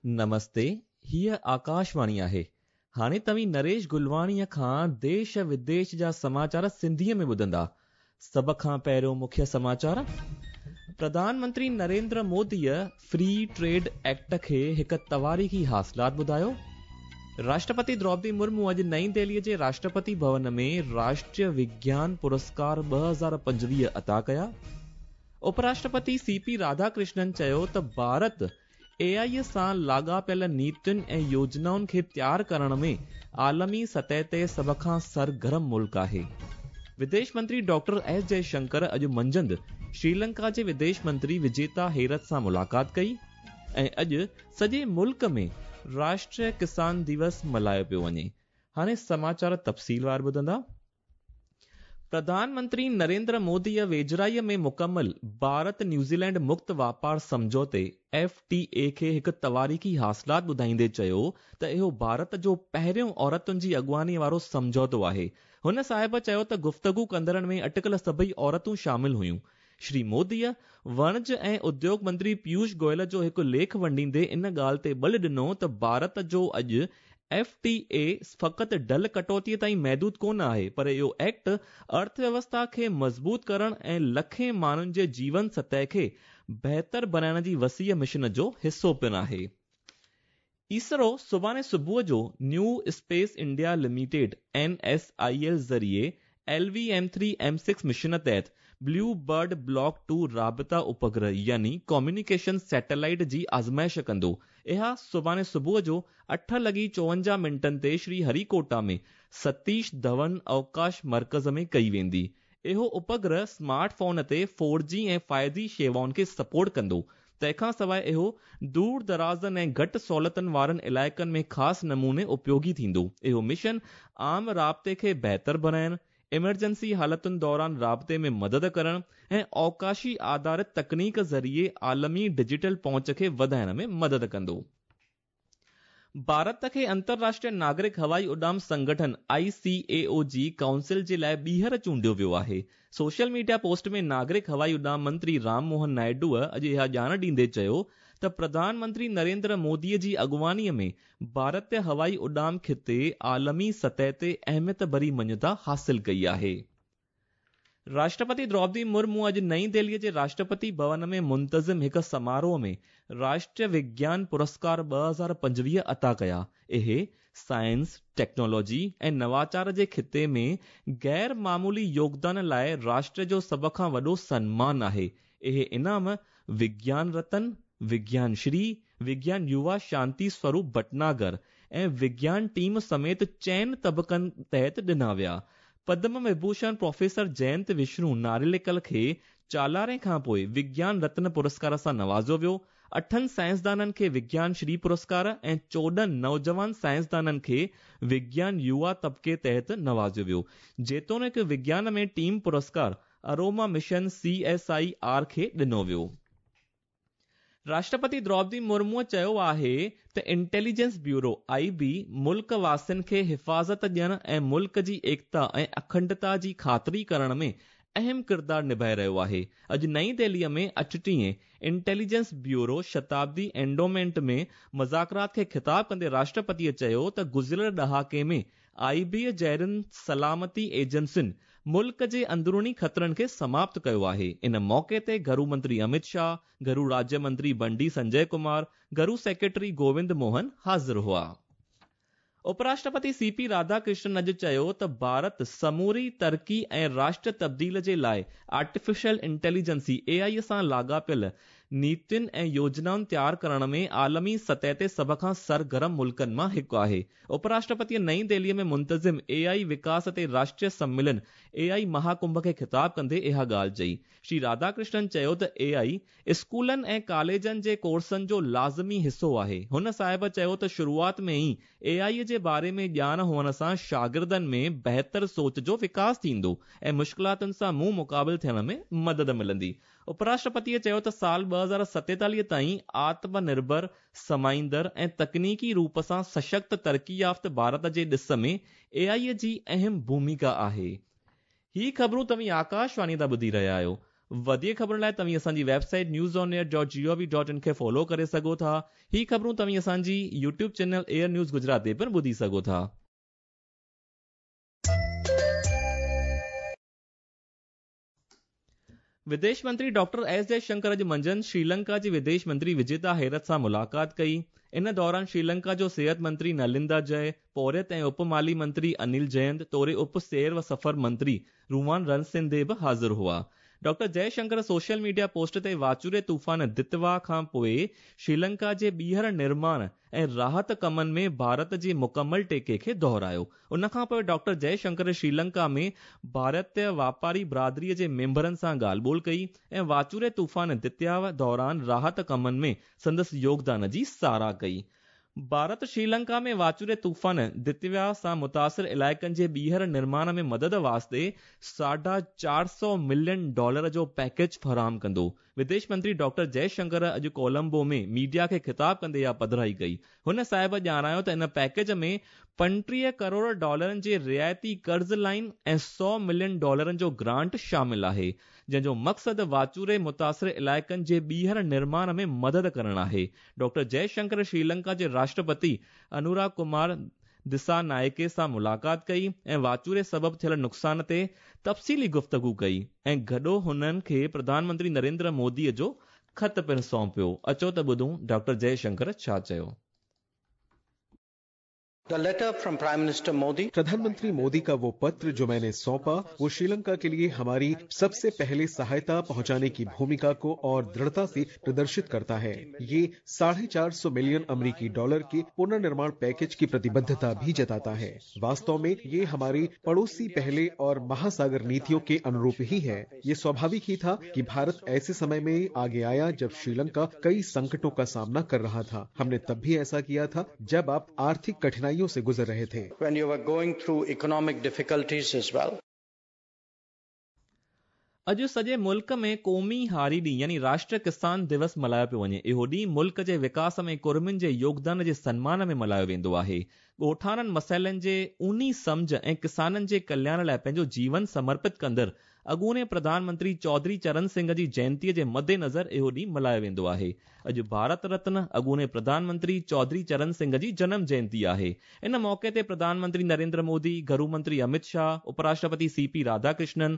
نمستي، هيء آڪاشواڻي آهي. هاڻي توهين نريش گلواڻيء کان ديش وديش جا سماچار سنڌيء ۾ ٻڌندا. سڀ کان پهريون مکيه سماچار. Pradhan Mantri Narendra موديء free trade act کي هڪ تواريخي حاصلات ٻڌايو. راشٽرپتي دروپدي مرمو اڄ نئين دهليء جي راشٽرپتي ڀون ۾ راشٽريه وگيان پرسڪار 2025 عطا ڪيا. اپراشٽرپتي سي پي راڌاڪرشنن چيو ته ڀارت اي آء سان لاڳاپيل نيتين ۽ يوجنائن کي تيار ڪرڻ ۾ عالمي سطح تي سڀ کان سرگرم ملڪ آهي. وديش منتري ڊاڪٽر ايس جئي شنڪر اڄ منجهند شريلنڪا جي وديش منتري وجيتا هيرٿ سان ملاقات ڪئي ۽ اڄ سڄي ملڪ ۾ راشٽريه ڪسان ديوس ملهايو پيو وڃي. هاڻي سماچار تفصيلوار ٻڌندا. پرڌان منتري نريندر موديء ويجهڙائيء ۾ مڪمل ڀارت نيوزيلينڊ مڪت واپار سمجهوتي، ايف ٽي اي، کي هڪ تواريخي حاصلات ٻڌائيندي چيو ته اهو ڀارت جو پهريون عورتن جي اڳواڻيء وارو سمجهوتو آهي. هن صاحب چيو ته گفتگو ڪندڙن ۾ اٽڪل سڀئي عورتون شامل هيون. شري موديء وڻج ۽ اديوگ منتري پيوش گويل جو هڪ ليک ونڊيندي ان ڳالهه تي ٻل ڏنو ته ڀارت جو اڄ ايف ٽي اي فقط ڍل ڪٽوتيء تائين محدود ڪونه آهي پر اهو ايڪٽ ارٿويوسٿا کي مضبوط ڪرڻ ۽ لکين ماڻهن جي جيون سطح کي بهتر بڻائڻ جي وسيع مشن جو حصو پڻ آهي. اسرو سڀاڻي صبح جو new space India limited, N S I L, ذريعي L V M three M six mission تحت بليو برڊ بلاڪ ٽو رابطا اپگرهه يعني ڪميونيڪيشن سيٽلائيٽ جي آزمائش ڪندو. اها سڀاڻي صبح جو اٺ لڳي چوونجاهه منٽن تي شري هري ڪوٽا ۾ ستيش ڌون اوڪاش مرڪز ۾ ڪئي ويندي. اهو اپگرهه سمارٽ فون تي فور جي ۽ فائيو جي شيوائن کي سپورٽ ڪندو. تنهن کان سواء اهو دور درازن ۽ گهٽ سهولتن وارن علائقن ۾ خاص نموني اپيوگي ٿيندو. اهو مشن عام رابطي کي بهتر بڻائڻ، ايمرجنسي حالتن دوران رابطي ۾ مدد ڪرڻ ۽ اوڪاشي آڌارت تڪنيڪ ذريعي عالمي ڊجيٽل پهچ کي وڌائڻ ۾ مدد ڪندو. ڀارت کي انترراشٽريه ناگرڪ هوائي اڏام سنگٺن، آء سي اي او، جي ڪائونسل جي لاء ٻيهر چونڊيو ويو آهي. سوشل ميڊيا پوسٽ ۾ ناگرڪ هوائي اڏام منتري رام موهن نائيڊوء اڄ اها ڄاڻ ڏيندي چيو ته پرڌان منتري نريندر مودي جي اڳواڻيء ۾ ڀارتي هوائي اڏام خطي عالمي سطح تي اهميت ڀري مڃتا حاصل ڪئي آهي. راشٽرپتي دروپدي مرمو اڄ نئين دهليء جي راشٽرپتي ڀون ۾ منتظم هڪ سماروهه ۾ راشٽريه وگيان پرسڪار 2025 عطا ڪيا. اهي سائنس، ٽيڪنالاجي ۽ نواچار جي خطي ۾ غير معمولي يوگدان لاء راشٽر جو سڀ کان وڏو سنمان آهي. اهي انعام وگيان رتن، وگيان شري، وگيان يووا شانتي سوروپ ڀٽناگر ۽ وگيان ٽيم سميت چئن طبقن تحت ڏنا ويا. پدم وڀوشڻ پروفيسر جينت وشنو ناريليڪل کي چالاري کان پوء وگيان رتن پرسڪار سان نوازيو ويو. اٺن سائنسدانن کي وگيان شري پرسڪار ۽ 14 نوجوان سائنسدانن کي وگيان يووا طبقي تحت نوازيو ويو. جيتوڻيڪ وگيان ۾ team Puraskar Aroma mission C S I R کي ڏنو ويو. راشٽرپتي دروپدي مرموء چيو آهي ته انٽيليجنس بيورو، آء بي، ملڪ واسين کي حفاظت ڏيڻ ۽ ملڪ جي ايڪتا ۽ اکنڊتا جي خاطري ڪرڻ ۾ اهم ڪردار نڀائي رهيو آهي. اڄ نئين دهليء ۾ اٺٽيهين انٽيليجنس بيورو شتابدي اينڊومينٽ ۾ مذاڪرات کي خطاب ڪندي راشٽرپتيء چيو ته گذريل ڏهاڪي ۾ آء بيء جهڙين سلامتي ايجنسين ملڪ جي اندروني خطرن کي سماپت ڪيو آهي. ان موقعي تي گهرو منتري امت شاهه، گهرو راجيه منتري بنڊي سنجي ڪمار، گهرو سيڪريٽري گووند موهن حاضر هئا. اپراشٽرپتي سي پي راڌاڪرشنن اڄ چيو ته ڀارت سموري ترقي ۽ راشٽر تبديل جي لاء آرٽيفيشل انٽيليجنسي، اي آء، سان لاڳاپيل نيتين ۽ يوجنائن تيار ڪرڻ ۾ عالمي سطح تي سڀ کان سرگرم ملڪن مان هڪ آهي. اپراشٽرپتيء نئين دهليء ۾ منتظم اي آء وڪاس تي راشٽريه سميلن اي آء مهاڪنڀ کي خطاب ڪندي اها ڳالهه چئي. شري راڌاڪرشنن چيو ته اي آء اسڪولن ۽ ڪاليجن جي ڪورسن جو لازمي حصو آهي. هن صاحب چيو ته شروعات ۾ ئي اي آء جي باري ۾ ڄاڻ هئڻ سان شاگردن ۾ بهتر سوچ جو وڪاس ٿيندو ۽ مشڪلاتن سان منهن مقابل ٿيڻ ۾ مدد ملندي. اپراشٽرپتيء چيو ته سال 2047 تائين آتم نرڀر، سمائيندڙ ۽ تڪنيڪي روپ سان سشڪت ترقي يافته ڀارت جي ڏس ۾ اي آء جي اهم ڀوميڪا آهي. هي خبرون توهين آڪاشواڻي تان ٻڌي رهيا آهيو. وڌيڪ خبرن لاء توهين اسان جي website news on air dot G O V dot in کي فالو ڪري سگهو ٿا. هي خبرون توهين اسان جي YouTube channel AIR news Gujarat تي پڻ ٻڌي سگهو ٿا. وديش منتري ڊاڪٽر ايس جئه شنڪر اڄ منجهند شريلنڪا جي وديش منتري وجيتا هيرٿ سان ملاقات ڪئي. ان دوران شريلنڪا جو صحت منتري نلندا جئه، پورهيت ۽ اپ مالي منتري انيل جينت توڙي اپ سير و سفر منتري رووان رنسنڌي به حاضر هئا. Doctor Jai Shankar social media post تي واچوڙي طوفان دتوا کان پوء شريلنڪا جي ٻيهر نرماڻ ۽ راحت ڪمن ۾ ڀارت جي مڪمل ٽيڪي کي دهرايو. ان کان پوء ڊاڪٽر جئه شنڪر شريلنڪا ۾ ڀارتي واپاري برادري جي ميمبرن سان ڳالهه ٻولهه ڪئي ۽ واچوڙي طوفان دتوا دوران راحت ڪمن ۾ سندس يوگدان جي ساراهه ڪئي. ڀارت شريلنڪا ۾ واچوڙي طوفان دتوا سان متاثر علائقن جي ٻيهر نرماڻ ۾ مدد واسطي ساڍا 400 ملين ڊالر جو پيڪيج فراهم ڪندو. وديش منتري ڊاڪٽر جئه شنڪر اڄ ڪولمبو ۾ ميڊيا کي خطاب ڪندي اها پڌرائي ڪئي. هن صاحب ڄاڻايو ته ان پيڪيج ۾ 35 ڪروڙ ڊالرن جي رعايتي قرض لائين ۽ 100 ملين ڊالرن جو گرانٽ شامل آهي، جنهن جو مقصد واچوڙي متاثر علائقن جي ٻيهر نرماڻ ۾ مدد ڪرڻ آهي. ڊاڪٽر جئه شنڪر شريلنڪا جي راشٽرپتي انورا ڪمار دسا نائڪي سان ملاقات ڪئي ۽ واچوڙي سبب ٿيل نقصان تي تفصيلي گفتگو ڪئي ۽ گڏو هنن کي پرڌان منتري نريندر مودي جو خط پڻ سونپيو. اچو ته ٻڌون ڊاڪٽر جئه شنڪر ڇا چيو. The letter from Prime Minister Modi. प्रधानमंत्री मोदी का वो पत्र जो मैंने सौंपा वो श्रीलंका के लिए हमारी सबसे पहले सहायता पहुंचाने की भूमिका को और दृढ़ता से प्रदर्शित करता है। ये 450 मिलियन अमेरिकी डॉलर के पुनर्निर्माण पैकेज की प्रतिबद्धता भी जताता है। वास्तव में ये हमारी पड़ोसी पहले और महासागर नीतियों के अनुरूप ही है। ये स्वाभाविक ही था कि भारत ऐसे समय में आगे आया जब श्रीलंका कई संकटों का सामना कर रहा था। हमने तब भी ऐसा किया था जब आप आर्थिक कठिनाइयों से गुजर रहे थे। When you were going through economic difficulties as well. اڄ سڄي ملڪ ۾ قومي هاري ڏينهن يعني راشٽر ڪسان دوس ملهايو پيو وڃي. اهو ڏينهن ملڪ جي وڪاس ۾ ڪڙمين جي يوگدان جي سنمان ۾ ملهايو ويندو آهي. ڳوٺاڻن مسئلن جي اونهي سمجهه ۽ ڪسانن جي ڪلياڻ لاء پنهنجو جيون سمرپت ڪندڙ اڳوڻي پرڌان منتري چوڌري چرن سنگهه جي جينتيء جي مدنظر اهو ڏينهن ملهايو ويندو آهي. اڄ ڀارت رتن اڳوڻي پرڌان منتري چوڌري چرن سنگهه جي جنم جينتي آهي. ان موقعي تي پرڌان منتري نريندر مودي، گهرو منتري امت شاهه، اپراشٽرپتي سي پي راڌاڪرشنن،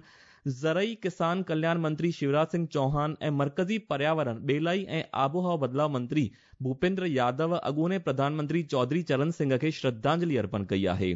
زرعي ڪسان ڪلياڻ منتري شيوراج سنگهه چوهان ۽ مرڪزي پرياورڻ، ٻيلائي ۽ آبهوا بدلاء منتري ڀوپيندر يادو اڳوڻي پرڌان منتري چوڌري چرن سنگهه کي شرڌانجلي ارپڻ ڪئي آهي.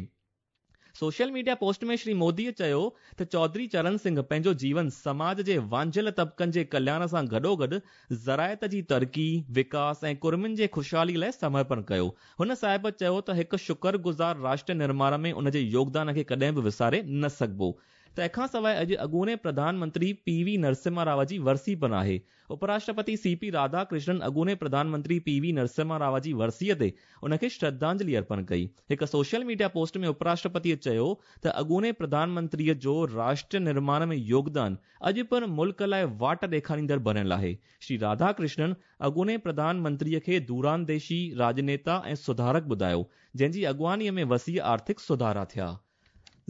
Social media post ۾ Shri Modi چيو ته چوڌري چرن سنگهه پنهنجو جيون سماج جي وانجهيل طبقن جي ڪلياڻ سان گڏوگڏ زراعت جي ترقي، وڪاس ۽ ڪڙمين جي خوشحالي لاء سمرپڻ ڪيو. هن صاحب چيو ته هڪ شڪر گذار راشٽر نرماڻ ۾ ان جي يوگدان کي ڪڏهن به وساري نه سگهبو. تنهن کان سواء اڄ اڳوڻي پرڌان منتري پي وي نرسمها راو جي ورسي پڻ آهي. اپراشٽرپتي سي پي راڌا ڪرشنن اڳوڻي پرڌان منتري پي وي نرسمها راو جي ورسيء تي ان کي شرڌانجلي ارپڻ ڪئي. هڪ سوشل ميڊيا پوسٽ ۾ اپراشٽرپتيء چيو ته اڳوڻي پرڌان منتريء جو راشٽر نرماڻ ۾ يوگدان اڄ پڻ ملڪ لاء واٽ ڏيکاريندڙ بڻيل آهي. شري راڌا ڪرشنن اڳوڻي پرڌان منتريء کي دورانديشي راڄنيتا ۽ سڌارڪ ٻڌايو، جنهن جي اڳواڻيء ۾ وسيع آرٿڪ سڌارا ٿيا.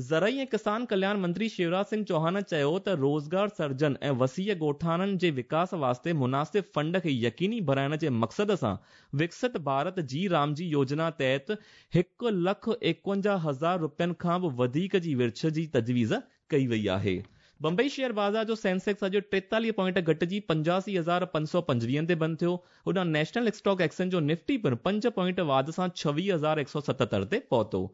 زرعي ۽ ڪسان ڪلياڻ منتري شيوراج سنگهه چوهان چيو ته روزگار سرجن ۽ وسيع ڳوٺاڻن جي وڪاس واسطي مناسب فنڊ کي يقيني بڻائڻ جي مقصد سان وڪست ڀارت جي رام جي يوجنا تحت هڪ لک 51 هزار رپين کان به وڌيڪ جي ورڇ جي تجويز ڪئي وئي آهي. بمبئي شيئر بازار جو سينسيڪس اڄ 43 پوائنٽ گهٽجي 85,525 تي بند ٿيو. هوڏانهن نيشنل اسٽاڪ ايڪسچينج جو نفٽي پڻ پنج پوائنٽ واڌ سان 26,177 تي پهتو.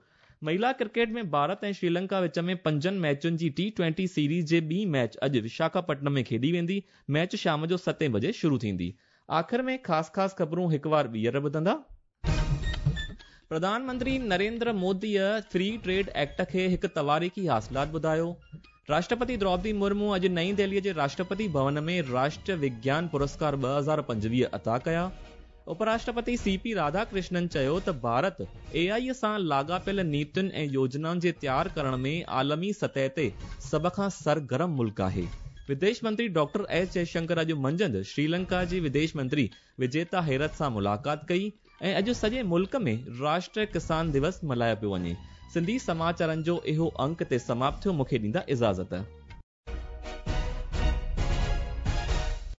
مهلا ڪرڪيٽ ۾ ڀارت ۽ شريلنڪا وچ ۾ پنجن ميچن جي ٽي ٽوئنٽي سيريز جي ٻي ميچ اڄ وشاکاپٽنم ۾ کيڏي ويندي، ميچ شام جو ستين بجي شروع ٿيندي. آخر ۾ خاص خاص خبرون هڪ وار ٻيهر ٻڌندا. Pradhan Mantri Narendra موديء free trade act کي هڪ تواريخي حاصلات ٻڌايو. راشٽرپتي دروپدي مرمو اڄ نئين دهليء جي راشٽرپتي ڀون ۾ راشٽر وگيان پرسڪار 2025 عطا ڪيا. اپراشٽرپتي سي پي راڌاڪرشنن چيو ته ڀارت اي آء سان لاڳاپيل نيتين ۽ يوجنائن جي تيار ڪرڻ ۾ عالمي سطح تي سڀ کان سرگرم ملڪ آهي. وديش منتري ڊاڪٽر ايس جئشنڪر اڄ منجهند شريلنڪا جي وديش منتري وجيتا هيرٿ سان ملاقات ڪئي. ۽ اڄ سڄي ملڪ ۾ راشٽر ڪسان دوس ملهايو پيو وڃي. سنڌي سماچارن جو اهو انڪ هتي سماپت ٿيو مونکي ڏيندا اجازت.